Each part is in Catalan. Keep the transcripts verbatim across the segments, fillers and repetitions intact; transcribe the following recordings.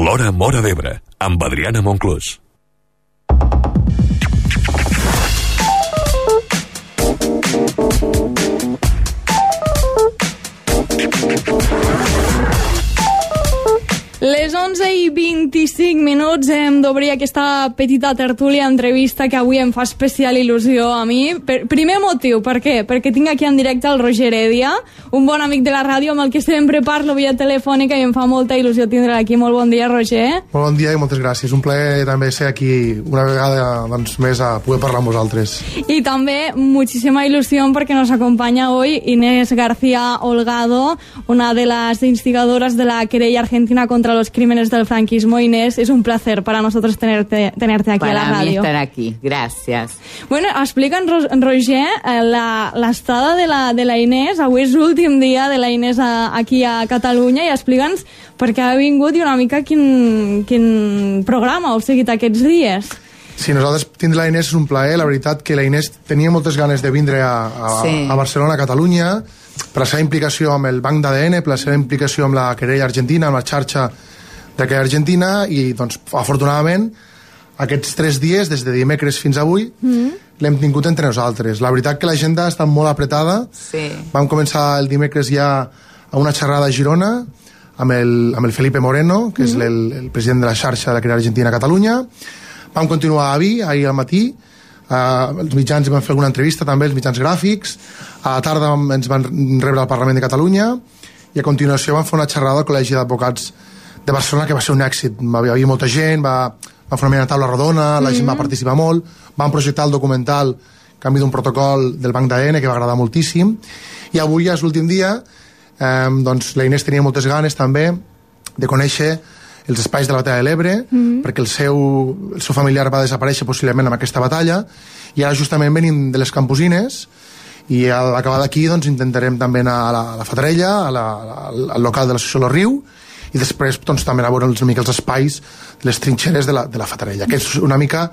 L'Hora Móra d'Ebre, amb Adriana Monclús. Les onze i vint-i-cinc minuts hem d'obrir aquesta petita tertúlia entrevista que avui em fa especial il·lusió a mi. Per, primer motiu, per què? Perquè tinc aquí en directe el Roger Heredia, un bon amic de la ràdio amb el que sempre parlo via telefònica i em fa molta il·lusió tindre'l aquí. Molt bon dia, Roger. Molt bon dia i moltes gràcies. Un plaer també ser aquí una vegada doncs, més a poder parlar amb vosaltres. Y también muchísima ilusión porque nos acompaña hoy Inés García Holgado, una de las instigadoras de la querella argentina contra los crímenes del franquismo. Inés, es un placer para nosotros tenerte, tenerte aquí para a la radio. Para mí estar aquí, gracias. Bueno, explica'ns, Roger, l'estada de, la, de la Inés. Avui és l'últim dia de la Inés a, aquí a Catalunya i explica'ns per què ha vingut i una mica quin, quin programa heu seguit aquests dies. Sí, nosaltres tindre la Inés és un plaer. La veritat que la Inés tenia moltes ganes de vindre a, a, sí. a Barcelona, a Catalunya, per la seva implicació amb el Banc d'A D N, per la seva implicació amb la querella argentina, amb la xarxa de querella argentina, i doncs, afortunadament, aquests tres dies, des de dimecres fins avui, mm. l'hem tingut entre nosaltres. La veritat que l'agenda ha estat molt apretada. Sí. Vam començar el dimecres ja a una xerrada a Girona amb el, amb el Felipe Moreno, que mm. és el, el president de la xarxa de la querella argentina a Catalunya. Vam continuar a Vic, ahir al matí. Uh, els mitjans van fer alguna entrevista també, els mitjans gràfics. A la tarda ens van rebre al Parlament de Catalunya i a continuació vam fer una xerrada al Col·legi d'Advocats de Barcelona, que va ser un èxit. Va haver molta gent, va, va fer una taula rodona, la gent mm-hmm. va participar molt, vam projectar el documental Canvi d'un protocol del Banc d'A D N, que va agradar moltíssim, i avui ja és l'últim dia. eh, doncs la Inés tenia moltes ganes també de conèixer els espais de la batalla de l'Ebre, mm-hmm. perquè el seu, el seu familiar va desaparèixer possiblement amb aquesta batalla, i ara justament venim de les Camposines, i al acabar d'aquí doncs, intentarem també anar a la, a la Fatarella, a la, al local de l'associació Lo Riu, i després doncs, també anar a veure una mica els espais, les trinxeres de la, de la Fatarella, que és una mica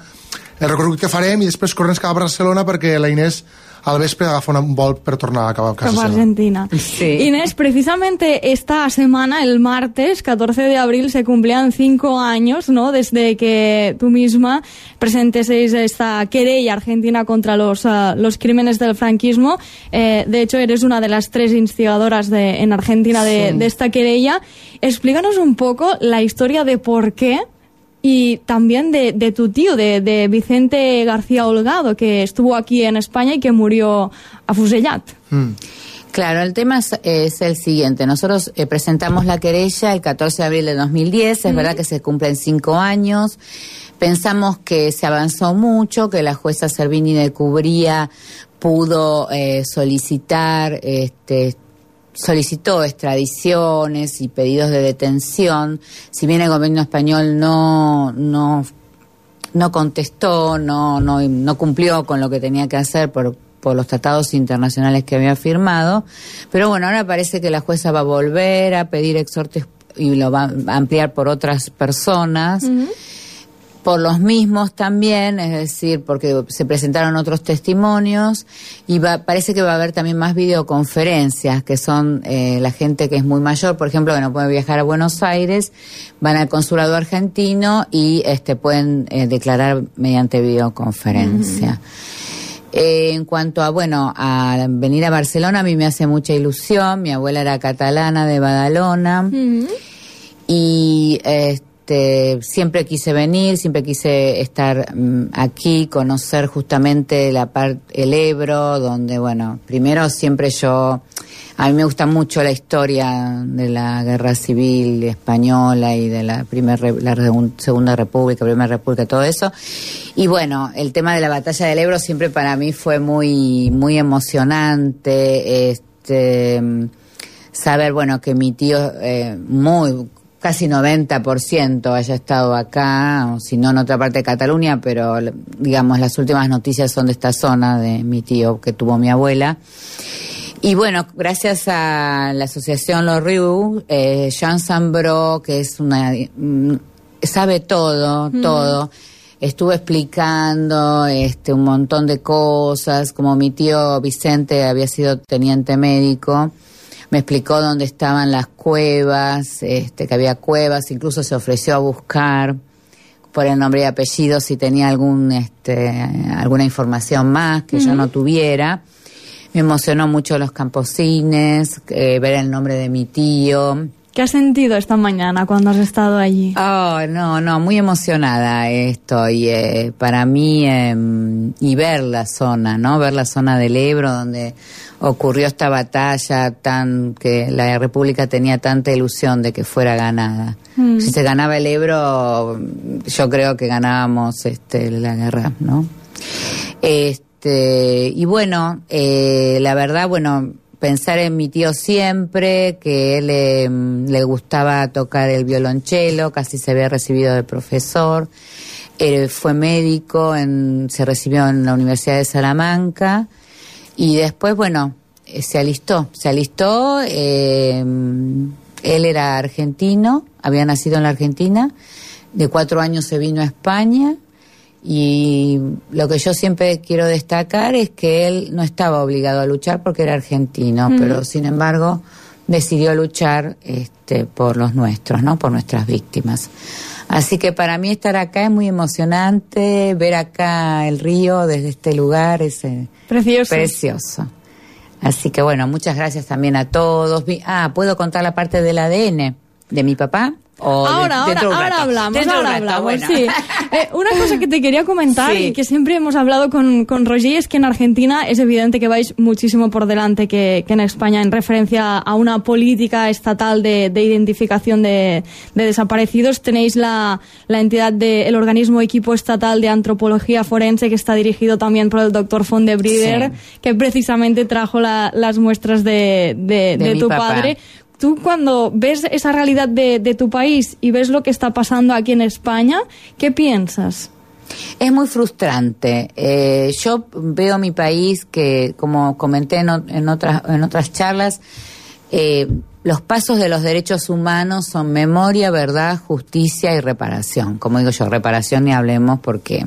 el recorregut que farem, i després corrents cap a Barcelona perquè la Inés al vespre agafa un vol per tornar a casa seva. Cap a Argentina. Sí. Inés, precisamente esta semana, el martes catorce de abril, se cumplían cinco años, ¿no?, desde que tú misma presentes esta querella argentina contra los, uh, los crímenes del franquismo. Eh, de hecho, eres una de las tres instigadoras de, en Argentina de, sí. de esta querella. Explícanos un poco la historia de por qué, y también de, de tu tío, de, de Vicente García Holgado, que estuvo aquí en España y que murió afusellat. Mm. Claro, el tema es, es el siguiente. Nosotros eh, presentamos la querella el catorce de abril de dos mil diez, es mm. verdad que se cumplen cinco años. Pensamos que se avanzó mucho, que la jueza Servini de Cubría pudo eh, solicitar este solicitó extradiciones y pedidos de detención. Si bien el gobierno español no no no contestó, no no no cumplió con lo que tenía que hacer por por los tratados internacionales que había firmado, pero bueno, ahora parece que la jueza va a volver a pedir exhortos y lo va a ampliar por otras personas. Uh-huh. Por los mismos también, es decir, porque se presentaron otros testimonios, y va, parece que va a haber también más videoconferencias, que son eh, la gente que es muy mayor, por ejemplo, que no puede viajar a Buenos Aires, van al consulado argentino y este pueden eh, declarar mediante videoconferencia. Uh-huh. Eh, en cuanto a, bueno, a venir a Barcelona, a mí me hace mucha ilusión. Mi abuela era catalana de Badalona. Uh-huh. Y este Este, siempre quise venir, siempre quise estar um, aquí, conocer justamente la parte, el Ebro, donde, bueno, primero siempre yo, a mí me gusta mucho la historia de la guerra civil española y de la primera, la segunda república, primera república, todo eso. Y bueno, el tema de la batalla del Ebro siempre para mí fue muy, muy emocionante, este, saber, bueno, que mi tío, eh, muy, casi noventa por ciento haya estado acá, o si no en otra parte de Cataluña, pero digamos las últimas noticias son de esta zona de mi tío que tuvo mi abuela. Y bueno, gracias a la asociación Lo Riu, eh, Jean Sambró, que es una sabe todo, mm. todo, estuvo explicando este un montón de cosas, como mi tío Vicente había sido teniente médico. me explicó dónde estaban las cuevas, este, que había cuevas, incluso se ofreció a buscar por el nombre y apellido si tenía algún, este, alguna información más que uh-huh. yo no tuviera. Me emocionó mucho los camposines, eh, ver el nombre de mi tío. ¿Qué has sentido esta mañana cuando has estado allí? Oh, no, no, muy emocionada estoy. Eh, para mí, eh, y ver la zona, ¿no? Ver la zona del Ebro donde ocurrió esta batalla tan que la República tenía tanta ilusión de que fuera ganada. Mm. Si se ganaba el Ebro, yo creo que ganábamos este, la guerra, ¿no? Este, y bueno, eh, la verdad, bueno... pensar en mi tío siempre, que él eh, le gustaba tocar el violonchelo, casi se había recibido de profesor, eh, fue médico, en, se recibió en la Universidad de Salamanca y después, bueno, eh, se alistó, se alistó, eh, él era argentino, había nacido en la Argentina, de cuatro años se vino a España. Y lo que yo siempre quiero destacar es que él no estaba obligado a luchar porque era argentino, mm. pero sin embargo decidió luchar este, por los nuestros, ¿no? Por nuestras víctimas. Así que para mí estar acá es muy emocionante, ver acá el río desde este lugar es eh, precioso. precioso. Así que bueno, muchas gracias también a todos. Ah, ¿puedo contar la parte del A D N de mi papá? O ahora, de, ahora, ahora hablamos, ahora rato, hablamos, bueno. sí. Eh, una cosa que te quería comentar sí. y que siempre hemos hablado con, con Roger es que en Argentina es evidente que vais muchísimo por delante que, que en España en referencia a una política estatal de, de identificación de, de desaparecidos. Tenéis la, la entidad del de, organismo equipo estatal de antropología forense que está dirigido también por el doctor Fondebrider, sí. que precisamente trajo la, las muestras de, de, de, de tu papá. padre. Tú cuando ves esa realidad de, de tu país y ves lo que está pasando aquí en España, ¿qué piensas? Es muy frustrante. Eh, yo veo mi país que, como comenté en, en, otras, en otras charlas, eh, los pasos de los derechos humanos son memoria, verdad, justicia y reparación. Como digo yo, reparación ni hablemos porque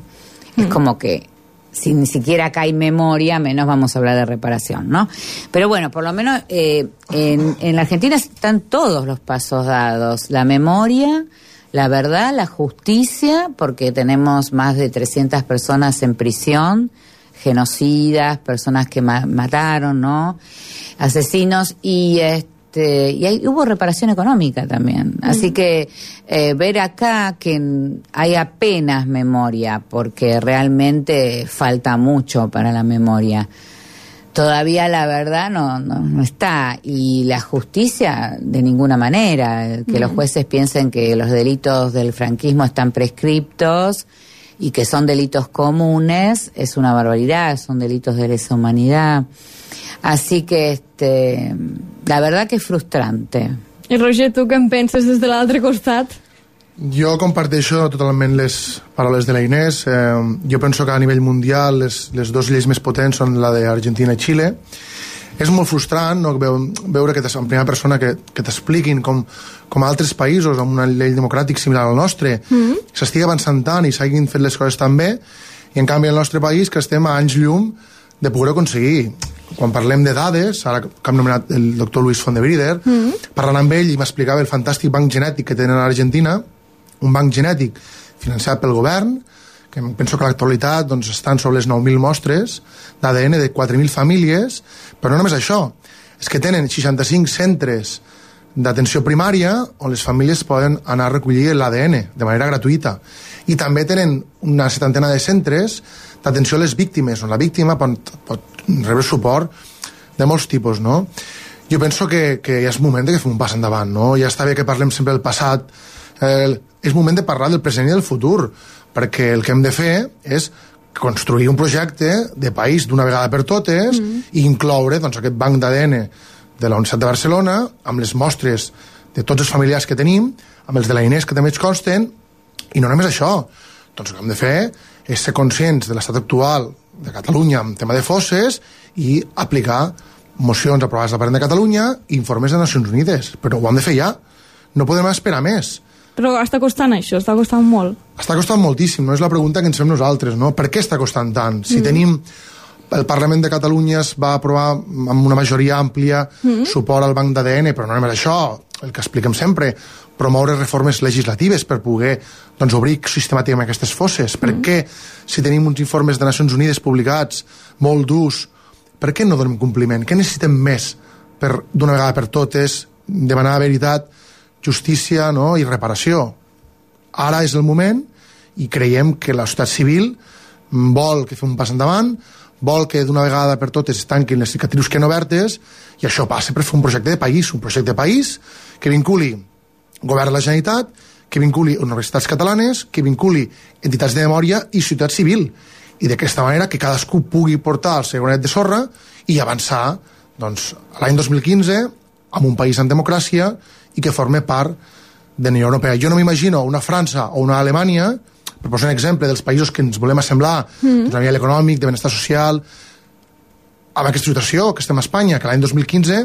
mm. es como que si ni siquiera acá hay memoria, menos vamos a hablar de reparación, ¿no? Pero bueno, por lo menos eh, en, en la Argentina están todos los pasos dados. La memoria, la verdad, la justicia, porque tenemos más de trescientas personas en prisión, genocidas, personas que ma- mataron, ¿no? Asesinos, y este y hay, hubo reparación económica también. Así que eh, ver acá que hay apenas memoria, porque realmente falta mucho para la memoria. Todavía la verdad no, no, no está. Y la justicia de ninguna manera. Que mm. los jueces piensen que los delitos del franquismo están prescriptos y que son delitos comunes, es una barbaridad, son delitos de lesa humanidad. Así que, este, la verdad que és frustrante. I Roger, tu què en penses des de l'altre costat? Jo comparteixo totalment les paraules de la Inés. Eh, jo penso que a nivell mundial les, les dues lleis més potents són la d'Argentina i Xile. És molt frustrant, no, veure que en primera persona que, que t'expliquin com, com a altres països amb una llei democràtica similar al nostre mm-hmm. s'estigui avançant tant i s'hagin fet les coses tan bé, i en canvi el nostre país que estem a anys llum de poder aconseguir. Quan parlem de dades, ara que hem nomenat el doctor Luis Fondebrider, mm-hmm. parlant amb ell i m'explicava el fantàstic banc genètic que tenen a l'Argentina, un banc genètic financiat pel govern, que penso que a l'actualitat doncs, estan sobre les nou mil mostres d'A D N de quatre mil famílies, però no només això, és que tenen seixanta-cinc centres d'atenció primària on les famílies poden anar a recollir l'A D N de manera gratuïta, i també tenen una setantena de centres d'atenció a les víctimes, on la víctima pot, pot rebre suport de molts tipus, no? Jo penso que, que ja és moment de que fem un pas endavant, no? Ja està bé que parlem sempre del passat, eh, és moment de parlar del present i del futur, perquè el que hem de fer és construir un projecte de país d'una vegada per totes mm. i incloure doncs, aquest banc d'A D N de la Universitat de Barcelona amb les mostres de tots els familiars que tenim, amb els de la Inés que també ens consten, i no només això, doncs el que hem de fer és ser conscients de l'estat actual de Catalunya en tema de fosses i aplicar mocions aprovades al Parlament de Catalunya i informes de Nacions Unides, però ho hem de fer ja, no podem esperar més. Però està costant això, està costant molt. Està costant moltíssim, no és la pregunta que ens fem nosaltres, no? Per què està costant tant? Si mm. tenim el Parlament de Catalunya es va aprovar amb una majoria àmplia mm-hmm. suport al banc d'A D N, però no només això, el que expliquem sempre, promoure reformes legislatives per poder doncs, obrir sistemàticament aquestes fosses. Mm-hmm. Per què, si tenim uns informes de Nacions Unides publicats molt durs, per què no donem compliment? Què necessitem més per, d'una vegada per totes, demanar veritat, justícia, no? I reparació? Ara és el moment i creiem que la societat civil vol que fem un pas endavant, vol que d'una vegada per totes es tanquin les cicatrius que no obertes, i això passa per fer un projecte de país, un projecte de país que vinculi govern de la Generalitat, que vinculi universitats catalanes, que vinculi entitats de memòria i societat civil, i d'aquesta manera que cadascú pugui portar el seu granet de sorra i avançar doncs, l'any dos mil quinze amb un país en democràcia i que forme part de la Unió Europea. Jo no m'imagino una França o una Alemanya, per posar un exemple dels països que ens volem assemblar mm. doncs, a nivell econòmic, de benestar social, amb aquesta situació que estem a Espanya, que l'any dos mil quinze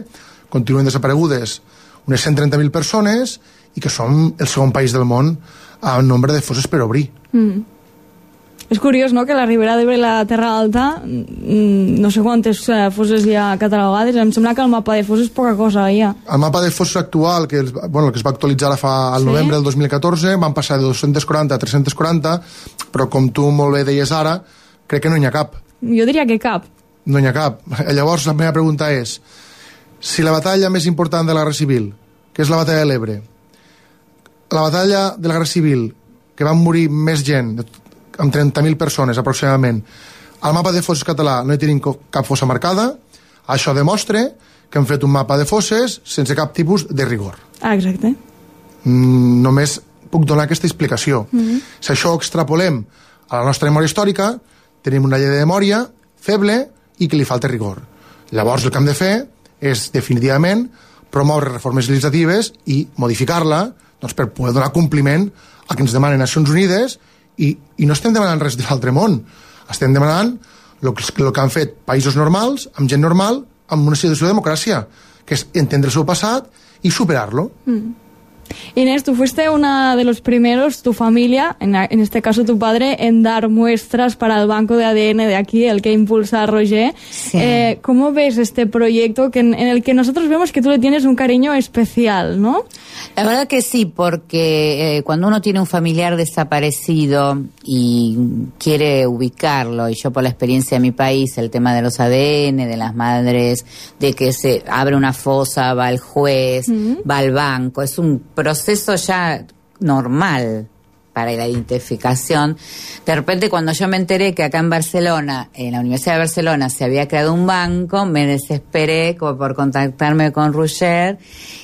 continuen desaparegudes unes cent trenta mil persones i que som el segon país del món amb nombre de fosses per obrir. Mm. És curiós, no?, que la Ribera d'Ebre i la Terra Alta, no sé quantes fosses hi ha catalogades, em sembla que el mapa de fosses poca cosa hi ha. El mapa de fosses actual, que, bueno, que es va actualitzar fa, al sí? novembre del dos mil catorze, van passar de dos-cents quaranta a tres-cents quaranta, però com tu molt bé deies ara, crec que no n'hi ha cap. Jo diria que cap. No n'hi ha cap. Llavors, la meva pregunta és, si la batalla més important de la Guerra Civil, que és la batalla de l'Ebre, la batalla de la Guerra Civil, que van morir més gent, amb trenta mil persones aproximadament, al mapa de fosses català no hi tenim cap fossa marcada, això demostra que hem fet un mapa de fosses sense cap tipus de rigor. Ah, exacte. Mm, només puc donar aquesta explicació. Mm-hmm. Si això ho extrapolem a la nostra memòria històrica, tenim una llei de memòria feble i que li falta rigor. Llavors el que hem de fer és definitivament promoure reformes legislatives i modificar-la doncs, per poder donar compliment a que ens demanen Nacions Unides. I, i no estem demanant res de l'altre món, estem demanant el que, el que han fet països normals, amb gent normal, amb una situació de democràcia, que és entendre el seu passat i superar-lo. Mm. Inés, tú fuiste una de los primeros, tu familia, en, en este caso tu padre, en dar muestras para el banco de A D N de aquí, el que impulsa a Roger. Sí. Eh, ¿Cómo ves este proyecto que en, en el que nosotros vemos que tú le tienes un cariño especial, ¿no? La verdad que sí, porque eh, cuando uno tiene un familiar desaparecido y quiere ubicarlo, y yo por la experiencia de mi país, el tema de los A D N, de las madres, de que se abre una fosa, va al juez, uh-huh. va al banco, es un proceso ya normal para la identificación. De repente, cuando yo me enteré que acá en Barcelona, en la Universidad de Barcelona, se había creado un banco, me desesperé como por contactarme con Roger,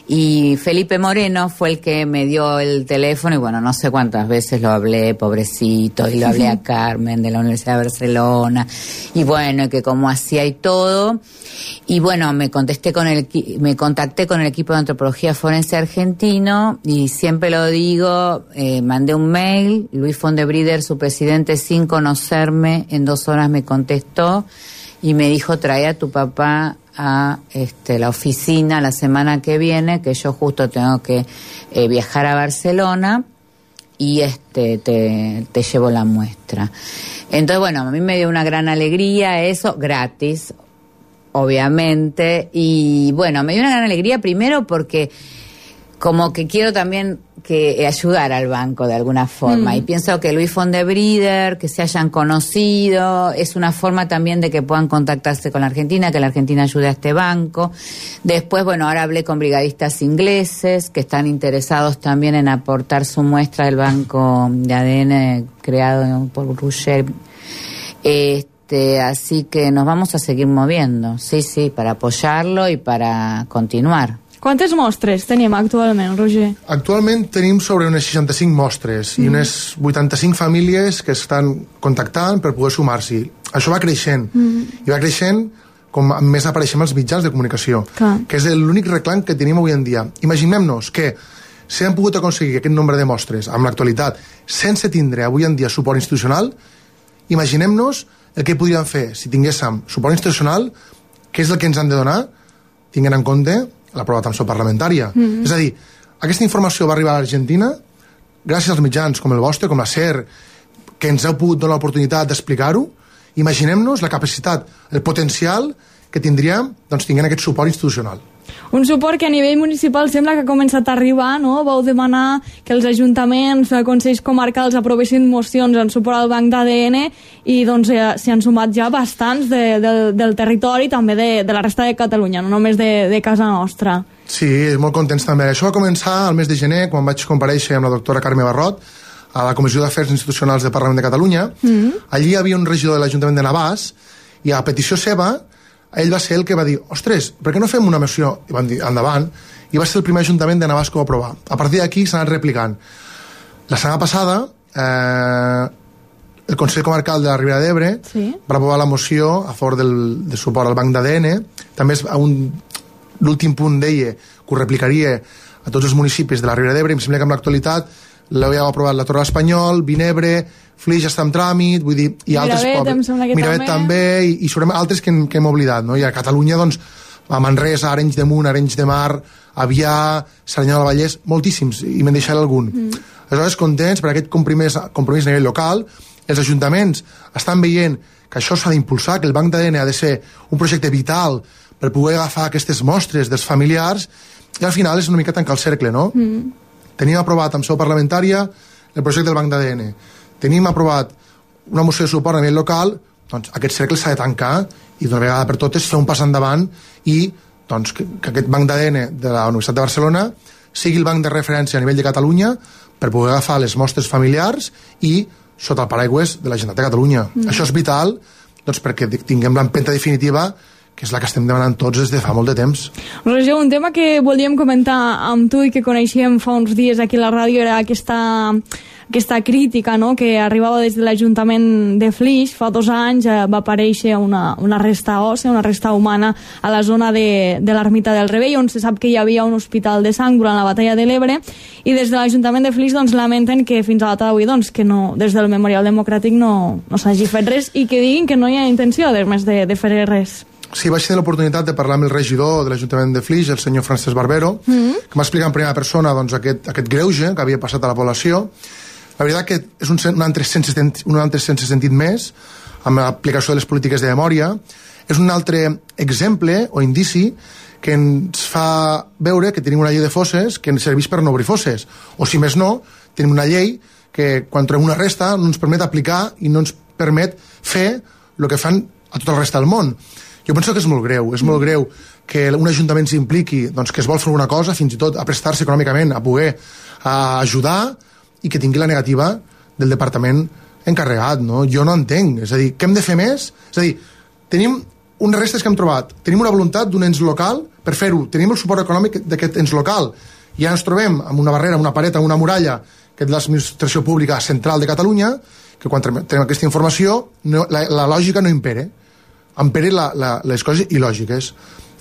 y Felipe Moreno fue el que me dio el teléfono, y bueno, no sé cuántas veces lo hablé, pobrecito, y lo hablé a Carmen de la Universidad de Barcelona, y bueno, que cómo hacía y todo. Y bueno, me contesté con el me contacté con el equipo de antropología forense argentino, y siempre lo digo, eh, mandé un mail, Luis Fondebrider, su presidente, sin conocerme, en dos horas me contestó y me dijo: trae a tu papá a este, la oficina la semana que viene, que yo justo tengo que eh, viajar a Barcelona, y este te, te llevo la muestra. Entonces, bueno, a mí me dio una gran alegría eso, gratis, obviamente, y bueno, me dio una gran alegría primero porque como que quiero también que ayudar al banco de alguna forma, mm. y pienso que Luis Fondebrider, que se hayan conocido, es una forma también de que puedan contactarse con la Argentina, que la Argentina ayude a este banco. Después, bueno, ahora hablé con brigadistas ingleses que están interesados también en aportar su muestra del banco de A D N creado por Roger. Este, así que nos vamos a seguir moviendo, sí, sí, para apoyarlo y para continuar. Quantes mostres tenim actualment, Roger? Actualment tenim sobre unes seixanta-cinc mostres mm. i unes vuitanta-cinc famílies que estan contactant per poder sumar-s'hi. Això va creixent, mm. i va creixent com més apareixem als mitjans de comunicació, Clar. que és l'únic reclam que tenim avui en dia. Imaginem-nos que si hem pogut aconseguir aquest nombre de mostres amb l'actualitat sense tindre avui en dia suport institucional, imaginem-nos el que podríem fer si tinguéssim suport institucional, que és el que ens han de donar, tinguent en compte la prova d'atenció parlamentària. Mm-hmm. És a dir, aquesta informació va arribar a l'Argentina gràcies als mitjans com el vostre, com la SER, que ens heu pogut donar l'oportunitat d'explicar-ho, imaginem-nos la capacitat, el potencial que tindríem doncs, tinguent aquest suport institucional. Un suport que a nivell municipal sembla que ha començat a arribar, no? Vau demanar que els ajuntaments, els consells comarcals aprovessin mocions en suport al banc d'A D N i doncs eh, s'hi han sumat ja bastants de, de, del territori, també de, de la resta de Catalunya, no només de, de casa nostra. Sí, molt contents també. Això va començar al mes de gener, quan vaig comparèixer amb la doctora Carme Barrot a la Comissió d'Afers Institucionals del Parlament de Catalunya. Mm-hmm. Allí hi havia un regidor de l'Ajuntament de Navàs i a petició seva ell va ser el que va dir, ostres, per què no fem una moció? I van dir, endavant, i va ser el primer ajuntament de Navàs que ho va aprovar. A partir d'aquí s'ha anat replicant. La setmana passada, eh, el Consell Comarcal de la Ribera d'Ebre sí. va aprovar la moció a favor del, del suport al banc d'A D N. També és un, l'últim punt deia que ho replicaria a tots els municipis de la Ribera d'Ebre. Em sembla que en l'actualitat l'havia aprovat la Torre de l'Espanyol, Vinebre, Flix està en tràmit, vull dir, hi ha altres pobles. Miravet també, i, i sobre altres que, que hem oblidat, no? I a Catalunya, doncs, a Manresa, Arenys de Munt, Arenys de Mar, Avià, Cerdanyola del Vallès, moltíssims, i me'n deixaré algun. Mm. Aleshores, contents per aquest compromís, compromís a nivell local, els ajuntaments estan veient que això s'ha d'impulsar, que el banc d'A D N ha de ser un projecte vital per poder agafar aquestes mostres dels familiars, i al final és una mica tancar el cercle, no? Mm. Tenim aprovat en seu parlamentària el projecte del banc d'A D N. Tenim aprovat una moció de suport a nivell local, doncs aquest cercle s'ha de tancar i d'una vegada per totes fer un pas endavant i doncs, que, que aquest banc d'A D N de la Universitat de Barcelona sigui el banc de referència a nivell de Catalunya per poder agafar les mostres familiars i sota el paraigües de la Generalitat de Catalunya. Mm. Això és vital doncs, perquè tinguem l'empenta definitiva que és la que estem demanant tots des de fa molt de temps. Roger, un tema que volíem comentar amb tu i que coneixíem fa uns dies aquí a la ràdio era aquesta, aquesta crítica, no?, que arribava des de l'Ajuntament de Flix. Fa dos anys eh, va aparèixer una, una resta òssea, una resta humana a la zona de, de l'Ermita del Rebell, on se sap que hi havia un hospital de sang durant la batalla de l'Ebre, i des de l'Ajuntament de Flix doncs, lamenten que fins a la data d'avui doncs, que no, des del Memorial Democràtic no, no s'hagi fet res i que diguin que no hi ha intenció, a més de, de fer res. Sí, vaig tenir l'oportunitat de parlar amb el regidor de l'Ajuntament de Flix, el senyor Francesc Barbero, mm-hmm. que m'ha explicat en primera persona doncs, aquest, aquest greuge que havia passat a la població. La veritat que és un, un, altre sense, un altre sense sentit més amb l'aplicació de les polítiques de memòria. És un altre exemple o indici que ens fa veure que tenim una llei de fosses que ens serveix per no obrir fosses. O si més no, tenim una llei que quan trobem una resta no ens permet aplicar i no ens permet fer el que fan a tota la resta del món. Jo penso que és molt greu, és molt greu que un ajuntament s'impliqui, doncs que es vol fer una cosa, fins i tot a prestar-se econòmicament, a poder a ajudar, i que tingui la negativa del departament encarregat, no? Jo no entenc, és a dir, què hem de fer més? És a dir, tenim unes restes que hem trobat, tenim una voluntat d'un ens local per fer-ho, tenim el suport econòmic d'aquest ens local, i ja ens trobem amb una barrera, una paret, amb una muralla, que és l'administració pública central de Catalunya, que quan tenim aquesta informació, no, la, la lògica no impere. Empere la, la, les coses il·lògiques.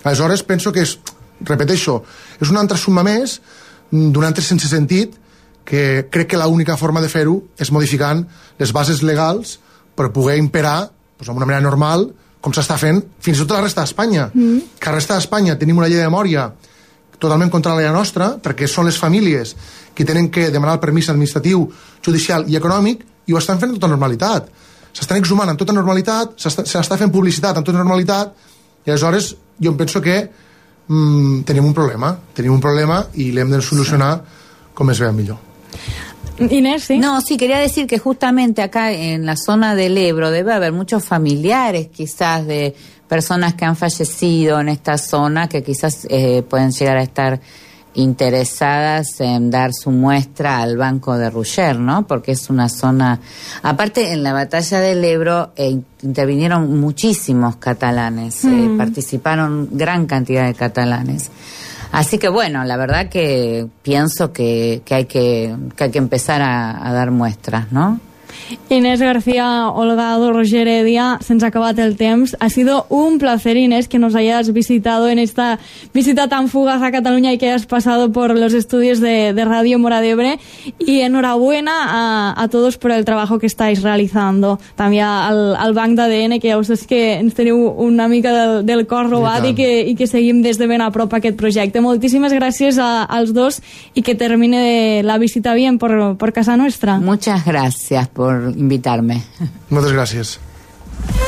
Aleshores, penso que és, repeteixo, és una altra suma més d'un altre sense sentit que crec que l'única forma de fer-ho és modificant les bases legals per poder imperar doncs, d'una manera normal, com s'està fent fins i tot a la resta d'Espanya. Mm. Que a la resta d'Espanya tenim una llei de memòria totalment contra la llei nostra, perquè són les famílies que tenen que demanar el permís administratiu, judicial i econòmic, i ho estan fent amb tota normalitat. S'estan exhumant amb tota normalitat, s'està fent publicitat amb tota normalitat, i aleshores jo em penso que mmm, tenim un problema, tenim un problema i l'hem de solucionar com es vea millor. Inés, ¿sí? No, sí, quería decir que justamente acá en la zona del Ebro debe haber muchos familiares quizás de personas que han fallecido en esta zona que quizás eh, pueden llegar a estar interesadas en dar su muestra al Banco de Ruller, ¿no? Porque es una zona... Aparte, en la batalla del Ebro eh, intervinieron muchísimos catalanes, mm. eh, participaron gran cantidad de catalanes. Así que bueno, la verdad que pienso que, que, hay, que, que hay que empezar a, a dar muestras, ¿no? Inés García Holgado, Roger Heredia, se nos ha acabado el temps. Ha sido un placer, Inés, que nos hayas visitado en esta visita tan fugaz a Cataluña y que hayas pasado por los estudios de, de Radio Móra d'Ebre. Y enhorabuena a, a todos por el trabajo que estáis realizando. També al, al banc d'A D N, que ja us és que ens teniu una mica del, del cor robat i, i, que, i que seguim des de ben a prop aquest projecte. Moltíssimes gràcies a, als dos i que termine la visita bien por, por casa nuestra. Muchas gracias por invitarme. Moltes gràcies. Argentina.